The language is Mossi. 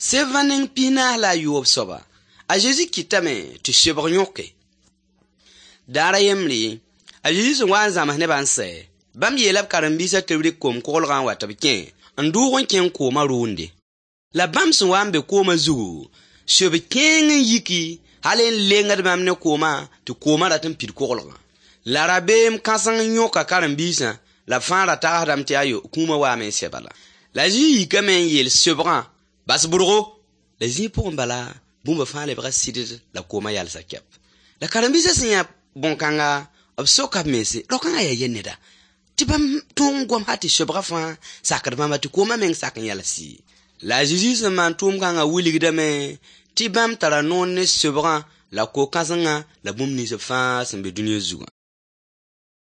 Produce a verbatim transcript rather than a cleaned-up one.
Sẽbã neng pis-naas la a yoob soaba, a Zezi kɩtame tɩ sobg yõke. Daar a yembre, a Zezi sẽn wa n zãms nebã n sɛ, bãmb yeela b karen-biisã tɩ b rɩk koom-koglgã n wa tɩ b kẽ n dʋʋg n kẽng koomã rʋʋnde. La bãmb sẽn wa n be koomã zugu, sob kẽeng n yiki hal n lengd bãmb ne koomã tɩ koomã rat n pid koglgã. La rabeem kãseng yõka karen-biisã la b fãa ra tagsdame tɩ ayo, kũumã waame n sɛ bala. La a Zezi yikame n yeel sobgã: bas bʋrgo. La zĩig pʋgẽ bala, bũmba fãa lebga sɩdd la koomã yalsa kɛp. La karen-biisã sẽn yã bõn-kãnga, b soka b mense, rao-kãngã yaa yɛ neda tɩ bãmb tõog n gom hal tɩ sobgã fãa sakd bãmba tɩ koomã meng sak n yals-y. La a Zezi sẽn maan tʋʋm-kãngã wilgdame tɩ bãmb tara noor ne sobgã la ko-kãsengã la bũmb nins fãa sẽn be dũniyã zugã.